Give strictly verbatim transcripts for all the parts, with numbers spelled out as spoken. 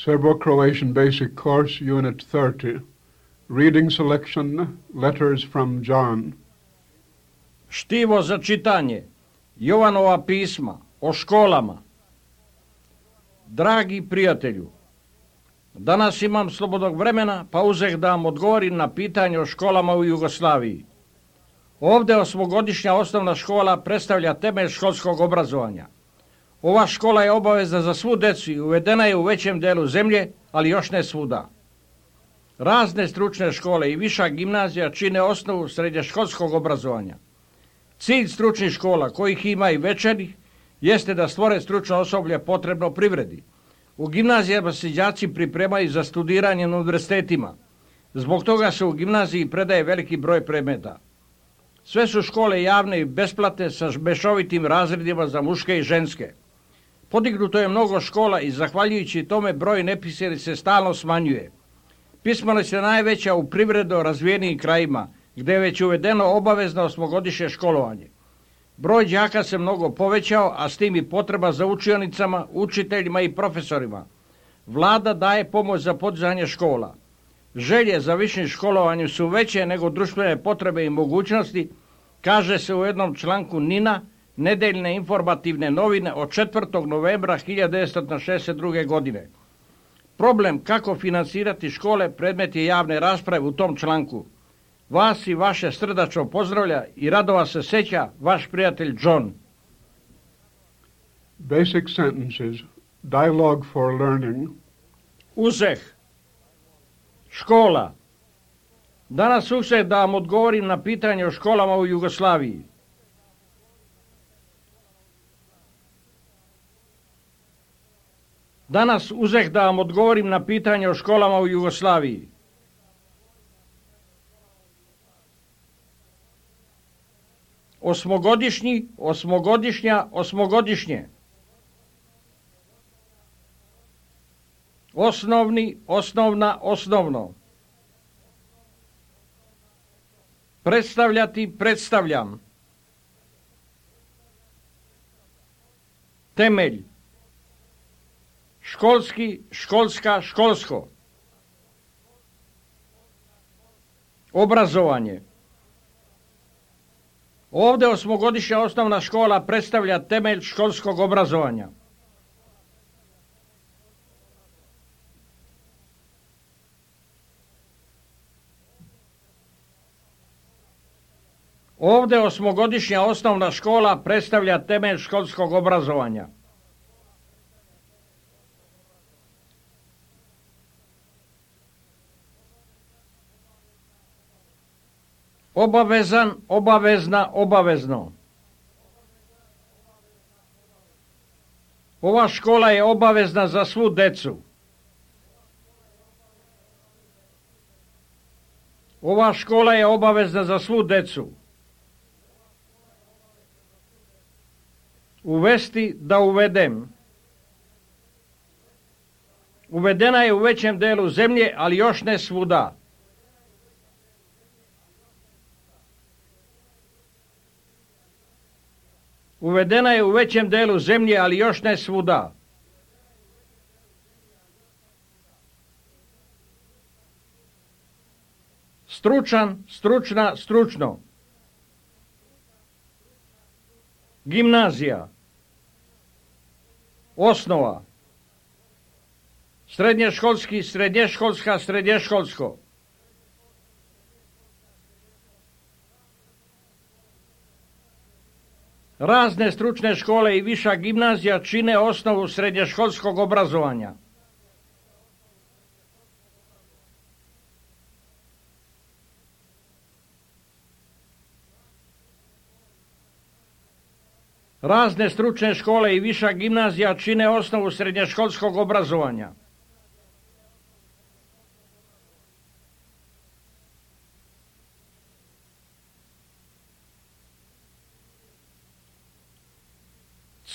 Serbo-Croatian Basic Course, Unit thirty. Reading selection, Letters from John. Štivo za čitanje. Jovanova pisma o školama. Dragi prijatelju, danas imam slobodnog vremena, pa uzeh da vam odgovorim na pitanje o školama u Jugoslaviji. Ovdje osmogodišnja osnovna škola predstavlja temelj školskog obrazovanja. Ova škola je obavezna za svu decu i uvedena je u većem delu zemlje, ali još ne svuda. Razne stručne škole i viša gimnazija čine osnovu srednjoškolskog obrazovanja. Cilj stručnih škola, kojih ima i večernih, jeste da stvore stručno osoblje potrebno privredi. U gimnazijama se đaci pripremaju za studiranje na univerzitetima. Zbog toga se u gimnaziji predaje veliki broj predmeta. Sve su škole javne i besplatne sa mešovitim razredima za muške i ženske. Podignuto je mnogo škola i zahvaljujući tome broj nepismenih se stalno smanjuje. Pismenost je najveća u privredno razvijenim krajima, gdje je već uvedeno obavezno osmogodišnje školovanje. Broj đaka se mnogo povećao, a s tim i potreba za učionicama, učiteljima i profesorima. Vlada daje pomoć za podizanje škola. Želje za višim školovanjem su veće nego društvene potrebe i mogućnosti, kaže se u jednom članku Nina, nedeljne informativne novine od četvrtog novembra hiljadu devetsto šezdeset druge. godine. Problem kako financirati škole predmet je javne rasprave u tom članku. Vas i vaše srdačno pozdravlja i radova se seća vaš prijatelj John. Basic sentences, dialogue for learning. Uzeh. Škola. Danas uzeh da vam odgovorim na pitanje o školama u Jugoslaviji. Danas uzeh da vam odgovorim na pitanje o školama u Jugoslaviji. Osmogodišnji, osmogodišnja, osmogodišnje. Osnovni, osnovna, osnovno. Predstavljati, predstavljam. Temelj. Školski, školska, školsko. Obrazovanje. Ovdje osmogodišnja osnovna škola predstavlja temelj školskog obrazovanja. Ovdje osmogodišnja osnovna škola predstavlja temelj školskog obrazovanja. Obavezan, obavezna, obavezno. Ova škola je obavezna za svu decu. Ova škola je obavezna za svu decu. Uvesti, da uvedem. Uvedena je u većem delu zemlje, ali još ne svuda. Uvedena je u većem delu zemlje, ali još ne svuda. Stručan, stručna, stručno. Gimnazija. Osnova. Srednješkolski, srednješkolska, srednješkolsko. Razne stručne škole i viša gimnazija čine osnovu srednjoškolskog obrazovanja. Razne stručne škole i viša gimnazija čine osnovu srednjoškolskog obrazovanja.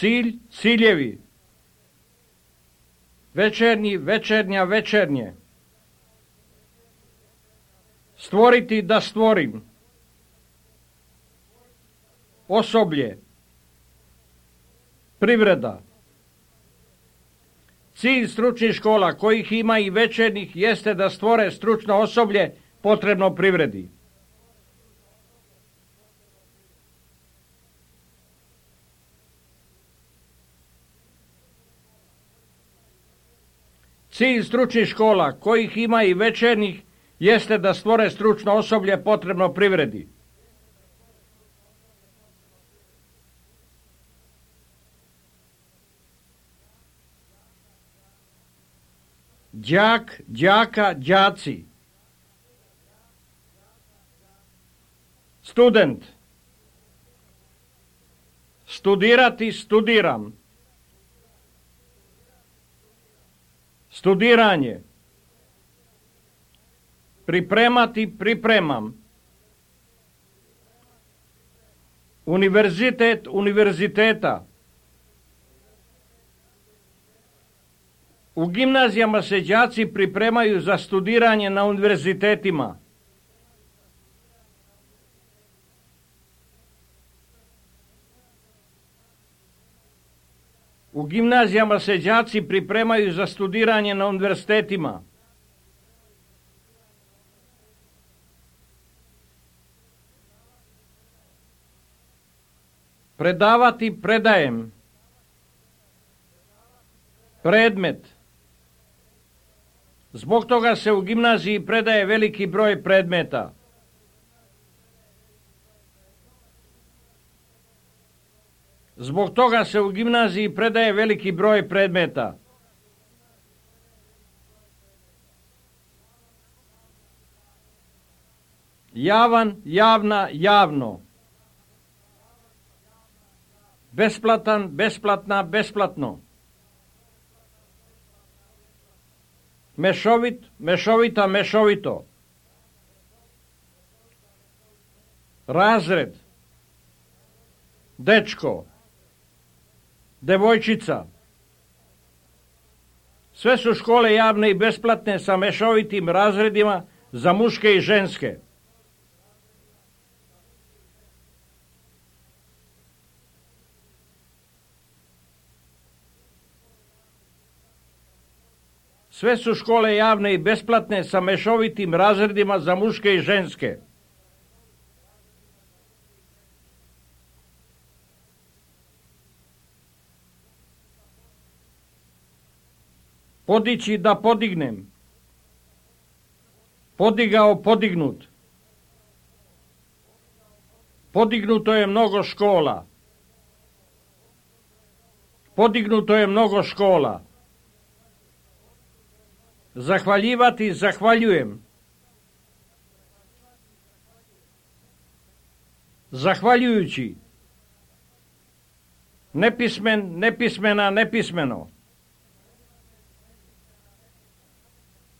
Cilj, ciljevi. Večernji, večernja, večernje. Stvoriti, da stvorim. Osoblje. Privreda. Cilj stručnih škola, kojih ima i večernjih, jeste da stvore stručno osoblje potrebno privredi. Cilj stručnih škola, kojih ima i večernjih, jeste da stvore stručno osoblje potrebno privredi. Đak, đaka, đaci. Student. Studirati, studiram. Studiranje. Pripremati, pripremam. Univerzitet, univerziteta. U gimnazijama se đaci pripremaju za studiranje na univerzitetima. U gimnazijama se đaci pripremaju za studiranje na univerzitetima. Predavati, predajem. Predmet. Zbog toga se u gimnaziji predaje veliki broj predmeta. Zbog toga se u gimnaziji predaje veliki broj predmeta. Javan, javna, javno. Besplatan, besplatna, besplatno. Mešovit, mešovita, mešovito. Razred. Dečko. Devojčica. Sve su škole javne i besplatne sa mešovitim razredima za muške i ženske. Sve su škole javne i besplatne sa mešovitim razredima za muške i ženske. Podići, da podignem. Podigao, podignut. Podignuto je mnogo škola. Podignuto je mnogo škola. Zahvaljivati, zahvaljujem. Zahvaljujući. Nepismen, nepismena, nepismeno.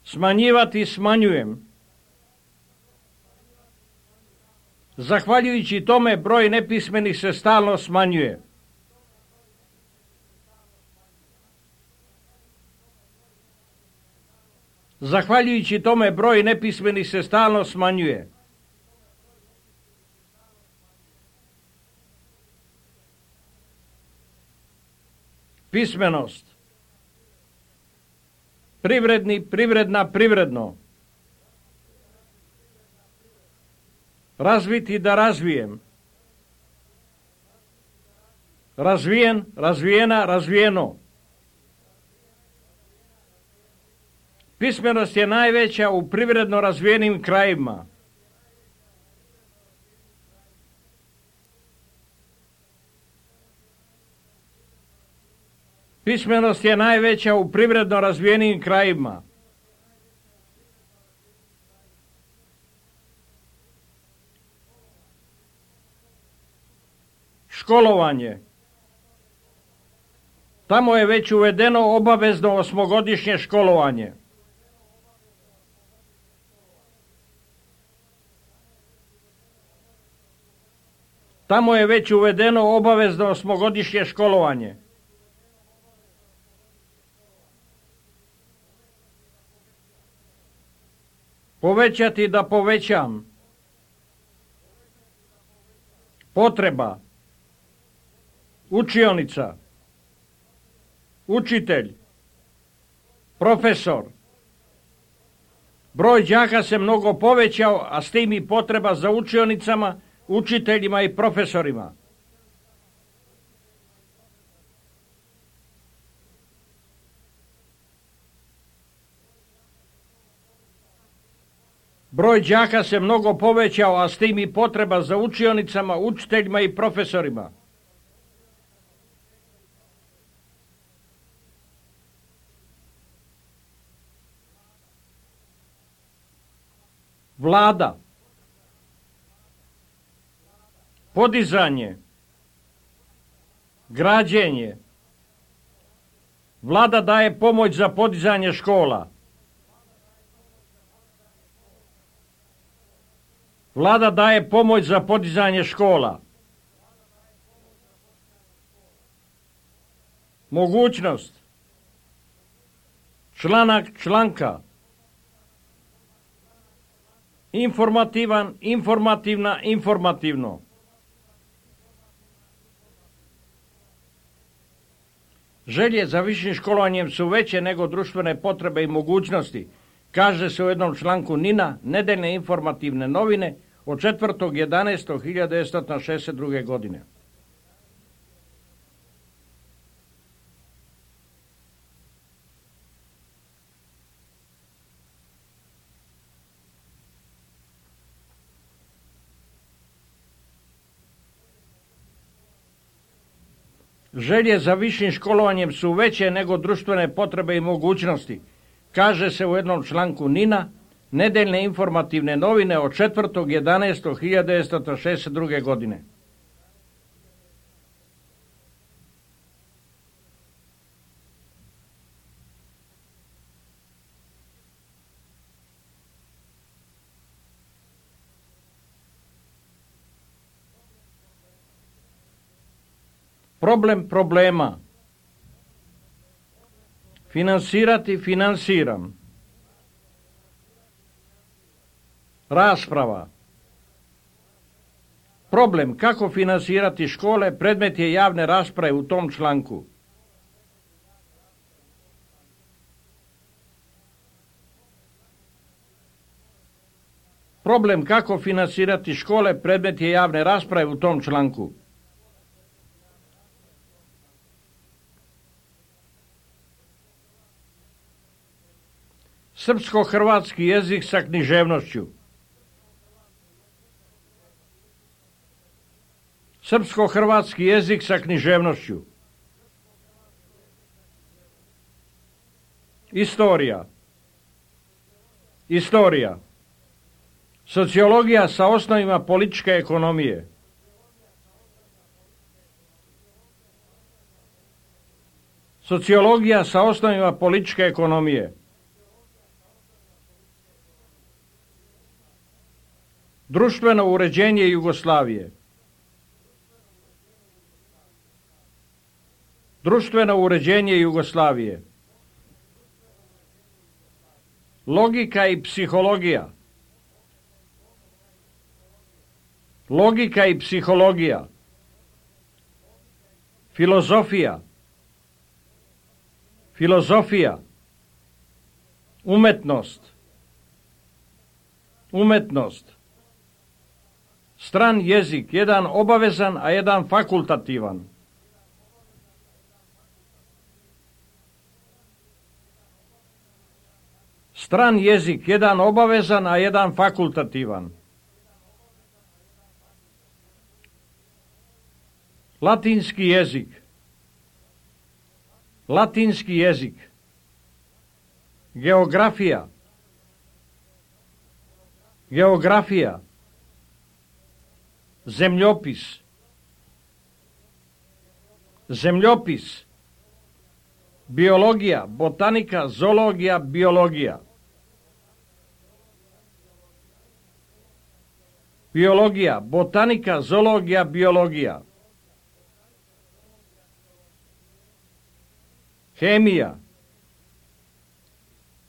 Smanjivati, smanjujem. Zahvaljujući tome broj nepismenih se stalno smanjuje. Zahvaljujući tome broj nepismenih se stalno smanjuje. Pismenost. Privredni, privredna, privredno. Razviti, da razvijem. Razvijen, razvijena, razvijeno. Pismenost je najveća u privredno razvijenim krajevima. Pismenost je najveća u privredno razvijenim krajevima. Školovanje. Tamo je već uvedeno obavezno osmogodišnje školovanje. Tamo je već uvedeno obavezno osmogodišnje školovanje. Povećati, da povećam. Potreba. Učionica. Učitelj. Profesor. Broj đaka se mnogo povećao, a s tim i potreba za učionicama, učiteljima i profesorima. Broj đaka se mnogo povećao, a s tim i potreba za učionicama, učiteljima i profesorima. Vlada. Podizanje. Građenje. Vlada daje pomoć za podizanje škola. Vlada daje pomoć za podizanje škola. Mogućnost. Članak članka. Informativan, informativna, informativno. Želje za višim školovanjem su veće nego društvene potrebe i mogućnosti, kaže se u jednom članku NIN-a, nedeljne informativne novine, od četvrtog jedanaestog hiljadu devetsto šezdeset druge. godine. Želje za višim školovanjem su veće nego društvene potrebe i mogućnosti, kaže se u jednom članku NIN-a, nedeljne informativne novine od četvrtog jedanaestog hiljadu devetsto šezdeset druge. godine. Problem problema. Finansirati, finansiram. Rasprava. Problem kako finansirati škole predmet je javne rasprave u tom članku. Problem kako finansirati škole predmet je javne rasprave u tom članku. Srpsko-hrvatski jezik sa književnošću. Srpsko-hrvatski jezik sa književnošću. Istorija. Istorija. Sociologija sa osnovima političke ekonomije. Sociologija sa osnovima političke ekonomije. Društveno uređenje Jugoslavije. Društveno uređenje Jugoslavije. Logika i psihologija. Logika i psihologija. Filozofija. Filozofija. Umetnost. Umetnost. Stran jezik, jedan obavezan, a jedan fakultativan. Stran jezik, jedan obavezan, a jedan fakultativan. Latinski jezik. Latinski jezik. Geografija. Geografija. Zemljopis. Zemljopis. Biologija, botanika, zoologija, biologija. Biologija, botanika, zoologija, biologija. Hemija.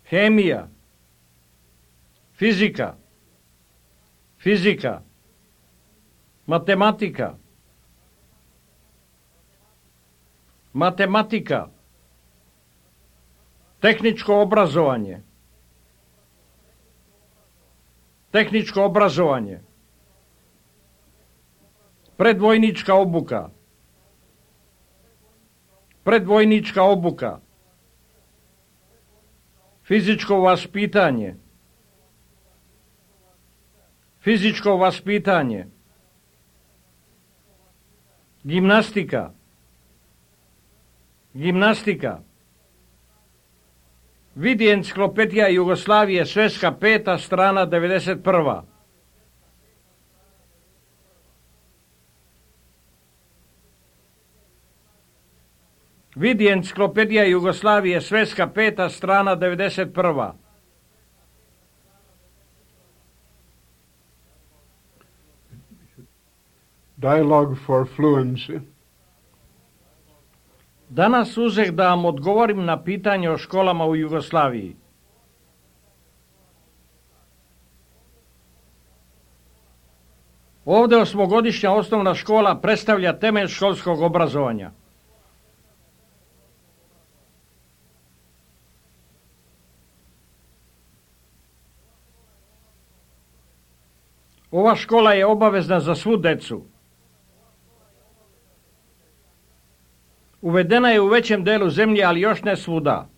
Hemija. Fizika. Fizika. Matematika. Matematika. Tehničko obrazovanje. Tehničko obrazovanje. Predvojnička obuka. Predvojnička obuka. Fizičko vaspitanje. Fizičko vaspitanje. Gimnastika. Gimnastika. Vidi enciklopedija Jugoslavije, sveska peta, strana devedeset prva. Vidi enciklopedija Jugoslavije, sveska peta, strana devedeset prva. Dialogue for fluency. Danas uzeh da vam odgovorim na pitanje o školama u Jugoslaviji. Ovdje osmogodišnja osnovna škola predstavlja temelj školskog obrazovanja. Ova škola je obavezna za svu decu. Uvedena je u većem delu zemlje, ali još ne svuda.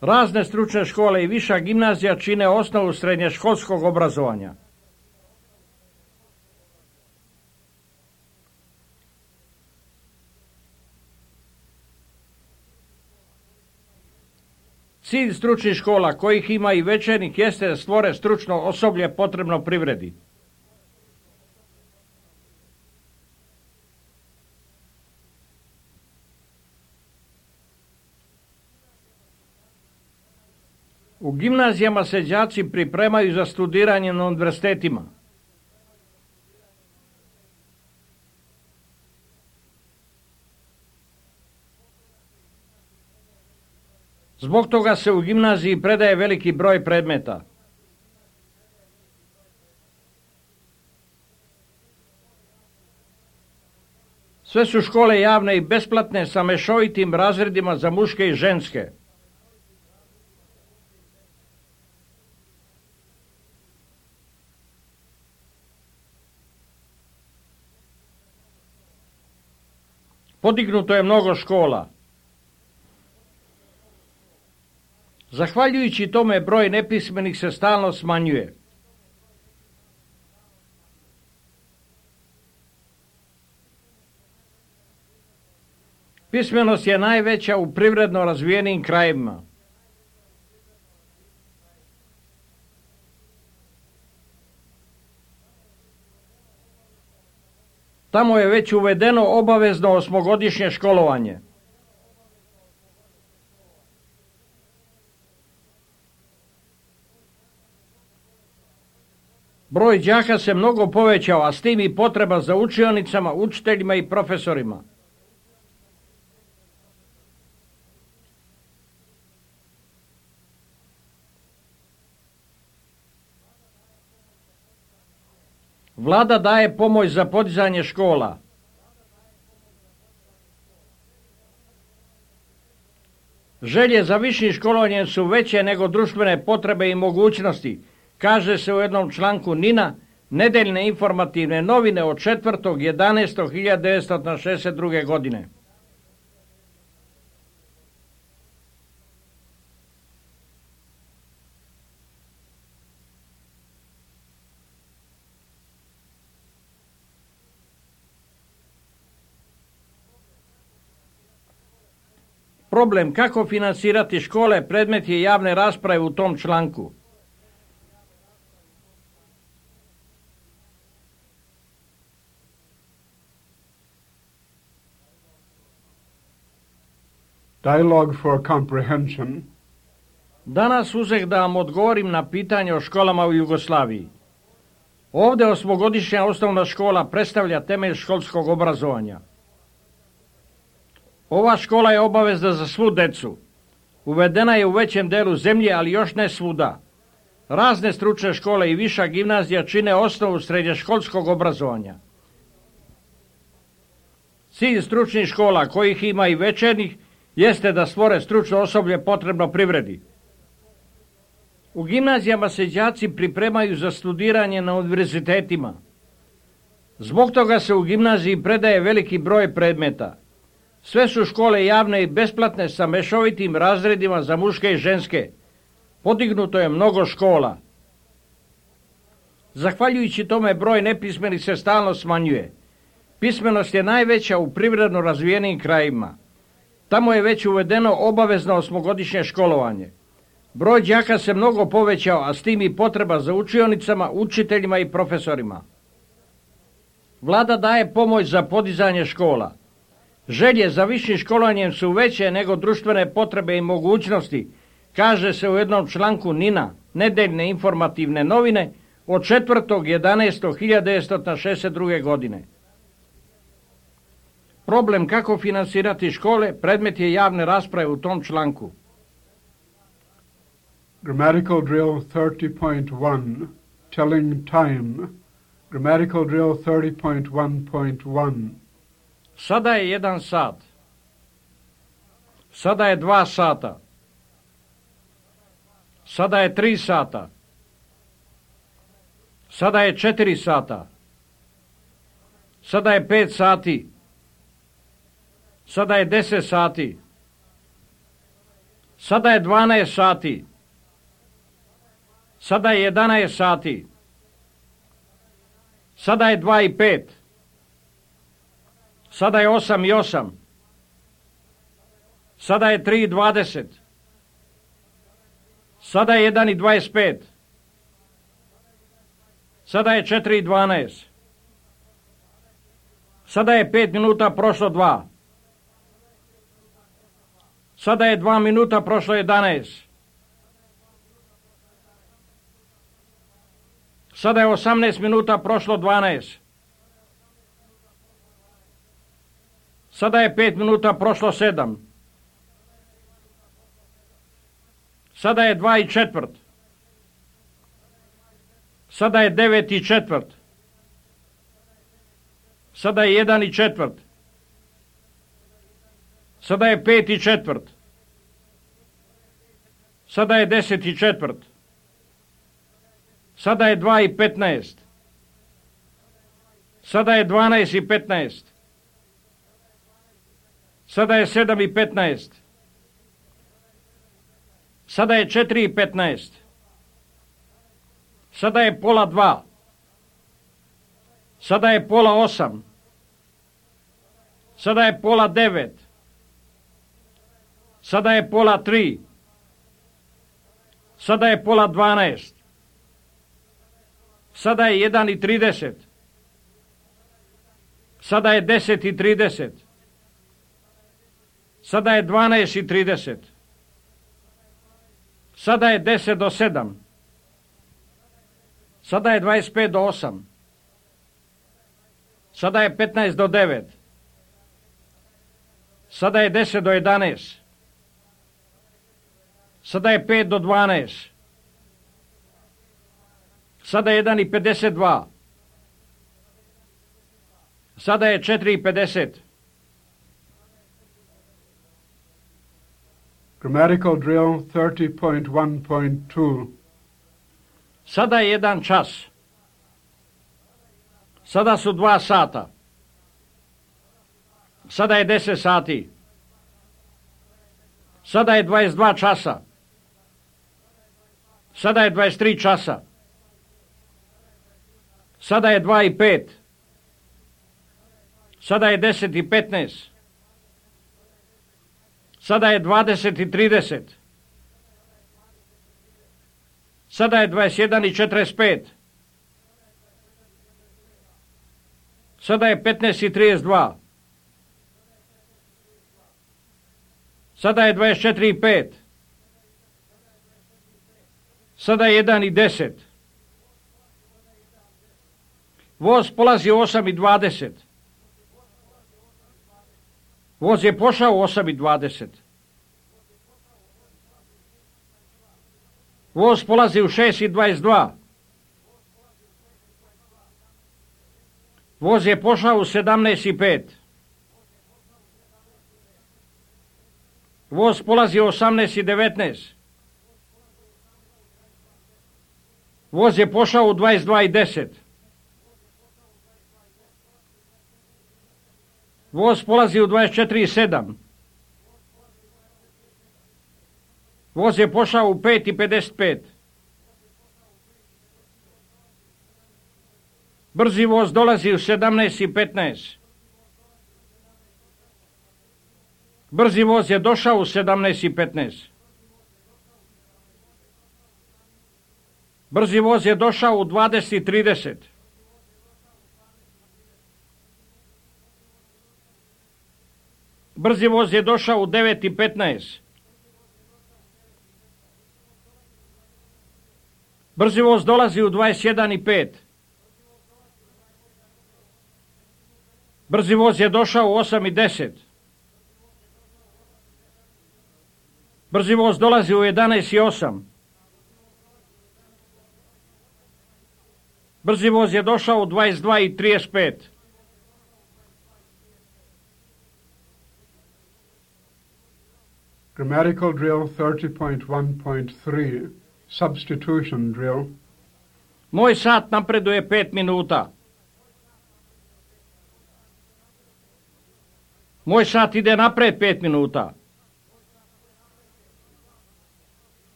Razne stručne škole i viša gimnazija čine osnovu srednješkolskog obrazovanja. Cilj stručnih škola, kojih ima i većenih, jeste da stvore stručno osoblje potrebno privredi. U gimnazijama se đaci pripremaju za studiranje na univerzitetima. Zbog toga se u gimnaziji predaje veliki broj predmeta. Sve su škole javne i besplatne sa mešovitim razredima za muške i ženske. Podignuto je mnogo škola. Zahvaljujući tome broj nepismenih se stalno smanjuje. Pismenost je najveća u privredno razvijenim krajevima. Tamo je već uvedeno obavezno osmogodišnje školovanje. Broj đaka se mnogo povećao, a s tim i potreba za učionicama, učiteljima i profesorima. Vlada daje pomoć za podizanje škola. Želje za višim školovanjem su veće nego društvene potrebe i mogućnosti, kaže se u jednom članku Nina, nedeljne informativne novine od četvrtog jedanaestog hiljade devetsto šezdeset druge. godine. Problem kako finansirati škole predmet je javne rasprave u tom članku. Dialogue for comprehension. Danas uzeh da vam odgovorim na pitanje o školama u Jugoslaviji. Ovdje osmogodišnja osnovna škola predstavlja temelj školskog obrazovanja. Ova škola je obavezna za svu decu. Uvedena je u većem delu zemlje, ali još ne svuda. Razne stručne škole i viša gimnazija čine osnovu srednješkolskog obrazovanja. Cilj stručnih škola, kojih ima i večernjih, jeste da stvore stručno osoblje potrebno privredi. U gimnazijama se đaci pripremaju za studiranje na univerzitetima. Zbog toga se u gimnaziji predaje veliki broj predmeta. Sve su škole javne i besplatne sa mešovitim razredima za muške i ženske. Podignuto je mnogo škola. Zahvaljujući tome broj nepismenih se stalno smanjuje. Pismenost je najveća u privredno razvijenim krajima. Tamo je već uvedeno obavezno osmogodišnje školovanje. Broj đaka se mnogo povećao, a s tim i potreba za učionicama, učiteljima i profesorima. Vlada daje pomoć za podizanje škola. Želje za višim školovanjem su veće nego društvene potrebe i mogućnosti, kaže se u jednom članku Nina, nedeljne informativne novine, od četvrtog jedanaestog hiljadu devetsto šezdeset druge. godine. Problem kako finansirati škole predmet je javne rasprave u tom članku. Grammatical drill thirty point one, telling time. Grammatical drill thirty point one point one. Sada je jedan sat. Sada je dva sata. Sada je tri sata. Sada je četiri sata. Sada je pet sati. Sada je deset sati. Sada je dvanaest sati. Sada je jedanaest sati. Sada je dva i pet. Sada je osam i osam. Sada je tri i dvadeset. Sada je jedan i dvadeset pet. Sada je četiri i dvanaest. Sada je pet minuta prošlo dva. Sada je dva minuta prošlo jedanaest. Sada je osamnaest minuta prošlo dvanaest. Sada je pet minuta prošlo sedam. Sada je dva i četvrt. Sada je devet i četvrt. Sada je jedan i četvrt. Sada je pet i četvrt. Sada je deset i četvrt. Sada je dva i petnaest. Sada je dvanaest i petnaest. Sada je sedam i petnaest. Sada je četiri i petnaest. Sada je pola dva. Sada je pola osam. Sada je pola devet. Sada je pola tri. Sada je pola dvanaest. Sada je jedan i trideset. Sada je deset i trideset. Sada je dvanaest i trideset. Sada je deset do sedam. Sada je dvadeset pet do osam. Sada je petnaest do devet. Sada je deset do jedanaest. Sada je pet do dvanaest. Sada je jedan i pedeset dva. Sada je četiri i pedeset. Grammatical drill thirty point one point two. Sada je jedan čas. Sada su dva sata. Sada je deset sati. Sada je dvadeset dva časa. Sada je dvadeset tri časa. Sada je dva i pet. Sada je deset i petnaest. Sada je dvadeset i trideset. Sada je dvadeset jedan i četrdeset pet. Sada je petnaest i trideset dva. Sada je dvadeset četiri i pet. Sada je jedan i deset. Voz polazi u osam i dvadeset. Voz je pošao u osam i dvadeset. Voz polazi u šest i dvadeset dva. Voz je pošao u sedamnaest i pet. Voz polazi u osamnaest i devetnaest. Voz je pošao u dvadeset dva i deset. Voz polazi u dvadeset četiri i sedam. Voz je pošao u pet i pedeset pet. Brzi voz dolazi u sedamnaest i petnaest. Brzi voz je došao u sedamnaest i petnaest. Brzi voz je došao u dvadeset i trideset. Brzi voz je došao u devet i petnaest. Brzi voz dolazi u dvadeset jedan i pet. Brzi voz je došao u osam i deset. Brzi voz dolazi u jedanaest i osam. Brzi voz je došao u dvadeset dva i trideset pet. Grammatical drill thirty point one point three, substitution drill. Moj sat napreduje pet minuta. Moj sat ide napred pet minuta.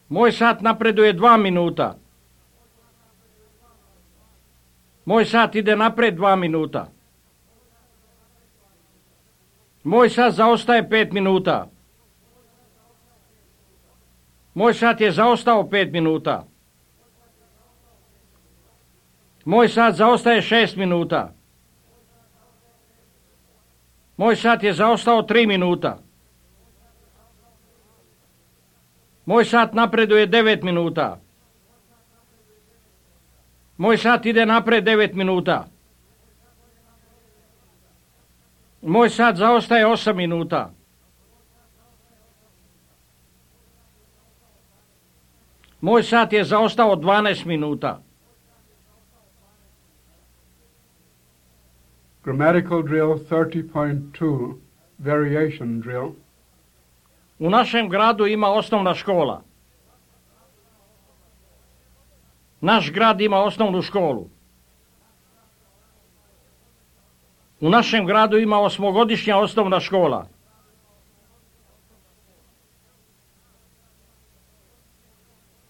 Moj sat napreduje dva minuta. Moj sat ide napred dva minuta. Moj sat zaostaje pet minuta. Moj sat je zaostao pet minuta. Moj sat zaostaje šest minuta. Moj sat je zaostao tri minuta. Moj sat napreduje devet minuta. Moj sat ide napred devet minuta. Moj sat zaostaje osam minuta. Moj sat je zaostao dvanaest minuta. Grammatical drill thirty point two, variation drill. U našem gradu ima osnovna škola. Naš grad ima osnovnu školu. U našem gradu ima osmogodišnja osnovna škola.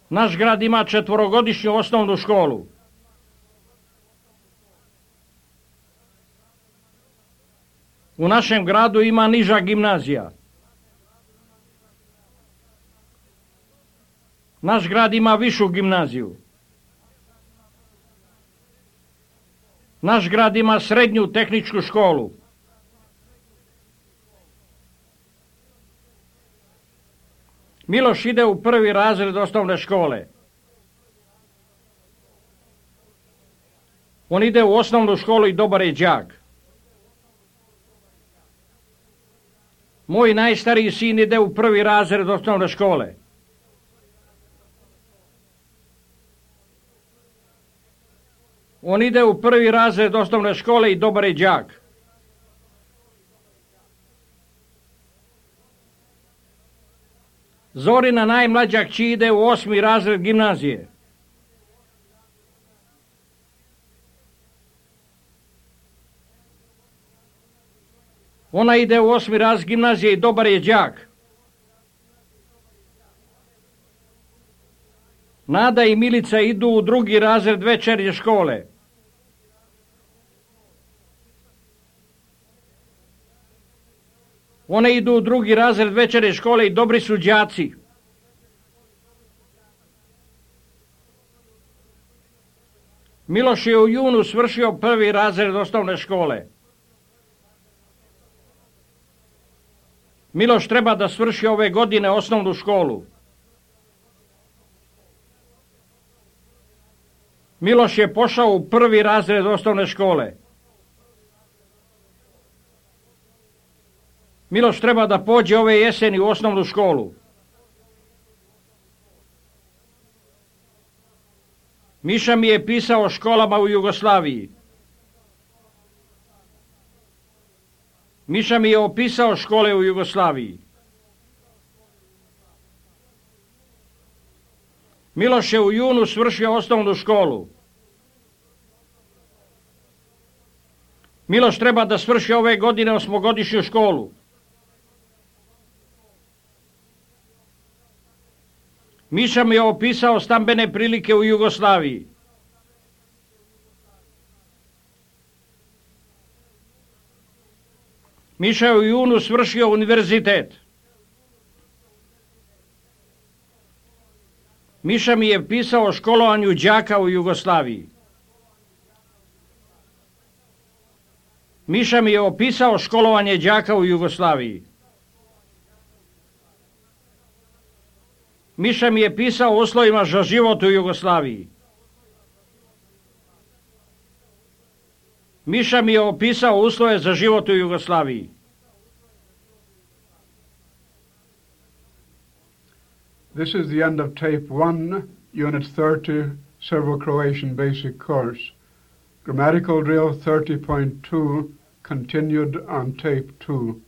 Naš grad ima četvorogodišnju osnovnu školu. U našem gradu ima niža gimnazija. Naš grad ima višu gimnaziju. Naš grad ima srednju tehničku školu. Miloš ide u prvi razred osnovne škole. On ide u osnovnu školu i dobar je đak. Moj najstariji sin ide u prvi razred osnovne škole. On ide u prvi razred osnovne škole i dobar je đak. Zorina najmlađa kći ide u osmi razred gimnazije. Ona ide u osmi razred gimnazije i dobar je đak. Nada i Milica idu u drugi razred večernje škole. One idu u drugi razred večernje škole i dobri su đaci. Miloš je u junu svršio prvi razred osnovne škole. Miloš treba da svrši ove godine osnovnu školu. Miloš je pošao u prvi razred osnovne škole. Miloš treba da pođe ove jeseni u osnovnu školu. Miša mi je pisao o školama u Jugoslaviji. Miša mi je opisao škole u Jugoslaviji. Miloš je u junu svršio osnovnu školu. Miloš treba da svrši ove godine osmogodišnju školu. Miša mi je opisao stambene prilike u Jugoslaviji. Miša je u junu svršio univerzitet. Miša mi je pisao o školovanju đaka u Jugoslaviji. Miša mi je opisao školovanje đaka u Jugoslaviji. Miša mi je pisao o uslovima za život u Jugoslaviji. Miša mi je opisao uslove za život u Jugoslaviji. This is the end of tape one, unit thirty, Serbo-Croatian basic course. Grammatical drill thirty point two continued on tape two.